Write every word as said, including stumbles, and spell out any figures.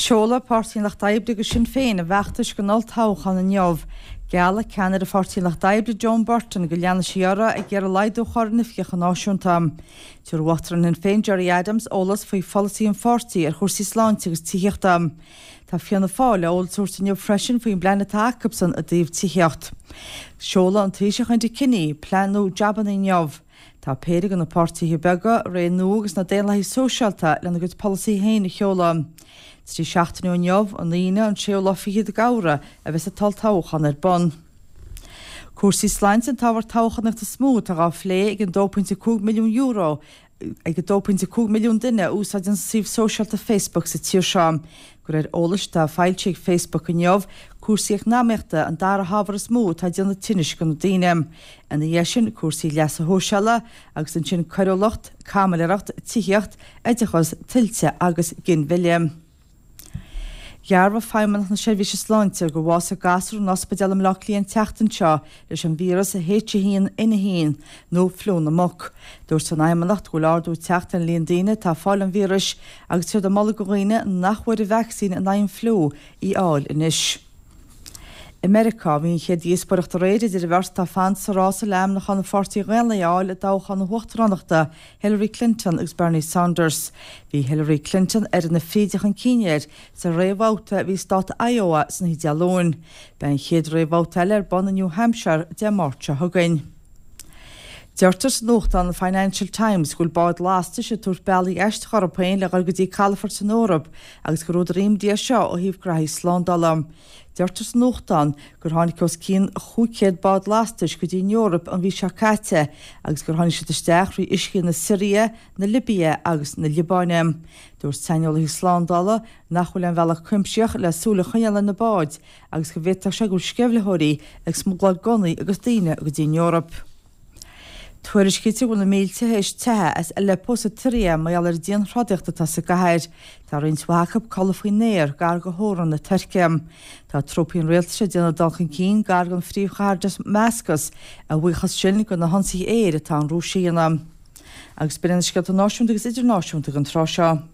Seolfaidh Páirtí an Lucht Oibre agus Sinn Féin a bhfeachtais don olltoghchán inniu. Geallfaidh ceannaire Pháirtí an Lucht Oibre Joan Burton go leanfaidh sí uirthi ag iarraidh laghdú a chur ar an oifigeach náisiúnta. Tabharfaidh Uachtarán Shinn Féin Gerry Adams eolas faoi pholasaí an pháirtí ar chúrsaí sláinte agus tithíochta. Tá Fianna Fáil le eolas a thabhairt inniu freisin faoin bplean atá acusan i dtaobh tithíocht. Seolfaidh an Taoiseach Enda Kenny plean nua jabanna inniu. Tá péire de na páirtithe beaga, Ré Nua agus na Daonlathaigh Sóisialta lena gcuid polasaí féin a sheoladh. Trí seachtaine ó inniu an Aoine an séú lá fichead d'Fheabhra a bheas an t-olltoghchán ar bun. Cúrsaí sláinte an t-ábhar toghchánaíochta is mó atá á phlé ag an dó pointe cúig milliún euro ag a dó pointe cúig milliún duine a úsáideann suíomh sóisialta Facebook sa tír seo. De réir eolais atá foilsithe ag Facebook inniu, cúrsaí eacnamaíochta an dara hábhar is mó atá ag déanamh tinnis do na daoine. Ina dhiaidh sin cúrsaí leasa shóisialaigh agus ansin coiriúlacht, caimiléireacht, tithíocht, oideachas, tuilte agus ginmhilleadh. Dhearbhaigh Feidhmeannacht na Seirbhíse Sláinte gur bhásaigh gasúr in ospidéal i mBleá Cliath an tseachtain seo leis an víreas H a haon N a haon nó fliú na muc. Dúirt an Fheidhmeannacht go bhfuil ardú ag teacht ar an líon daoine atá ag fáil an víris agus tá siad ag moladh do dhaoine nach bhfuair an vacsaín in aghaidh an fliú í a fháil anois. I Meiriceá bhí an chéad díospóireacht aréir idir an bheirt atá ag fanacht sa rása le ainmniúchán an Pháirtí Dhaonlathaigh a fháil i dtoghchán na huachtaránachta Hillary Clinton agus Bernie Sanders. Bhí Hillary Clinton oiread na fríde chun cinn air sa réamhbhabhta a bhí i stát Iowa san oíche Dé Luain. Beidh an chéad réamhbhabhta eile ar bun i New Hampshire Dé Máirt seo chugainn. Deirtear sa nuachtán an Financial Times go bhfuil báid lastais ag tabhairt bealaí aisteacha orthu féin le dhul go dtí calafort san Eoraip agus gur údar imní é seo ó thaobh graithí slándála. Deirtear sa nuachtán gur tháinig os cionn chúig chéad bád lastais go dtí an Eoraip an mhí seo caite agus gur tháinig siad isteach thrí uiscí na Siria, na Libia agus na Liobáine. Dúirt saineolaithe slándála nach bhfuil aon bhealach cuimsitheach le súil a choinneáil ar na báid agus go bhféadfadh sé go bhfuil sceimhlitheoirí ag smugláil gunnaí agus daoine go dtí an Eoraip. Tuairiscítear go bhfuil na mílte théis teitheadh as Aleppo sa tSiria mar gheall ar an dianthrodaíocht atá sa gcathair. Tá roinnt mhaith acu ag codladh faoin aer gar do theorainn na Tuirce. Tá trúpaí an rialtais ag déanamh dul chun cinn gar don phríomhchathair Damascus, a bhuíochas sin do na hionsaithe aeir atá an Rúis a dhéanamh. Agus b'in na scéalta náisiúnta agus idirnáisiúnta don tráth seo.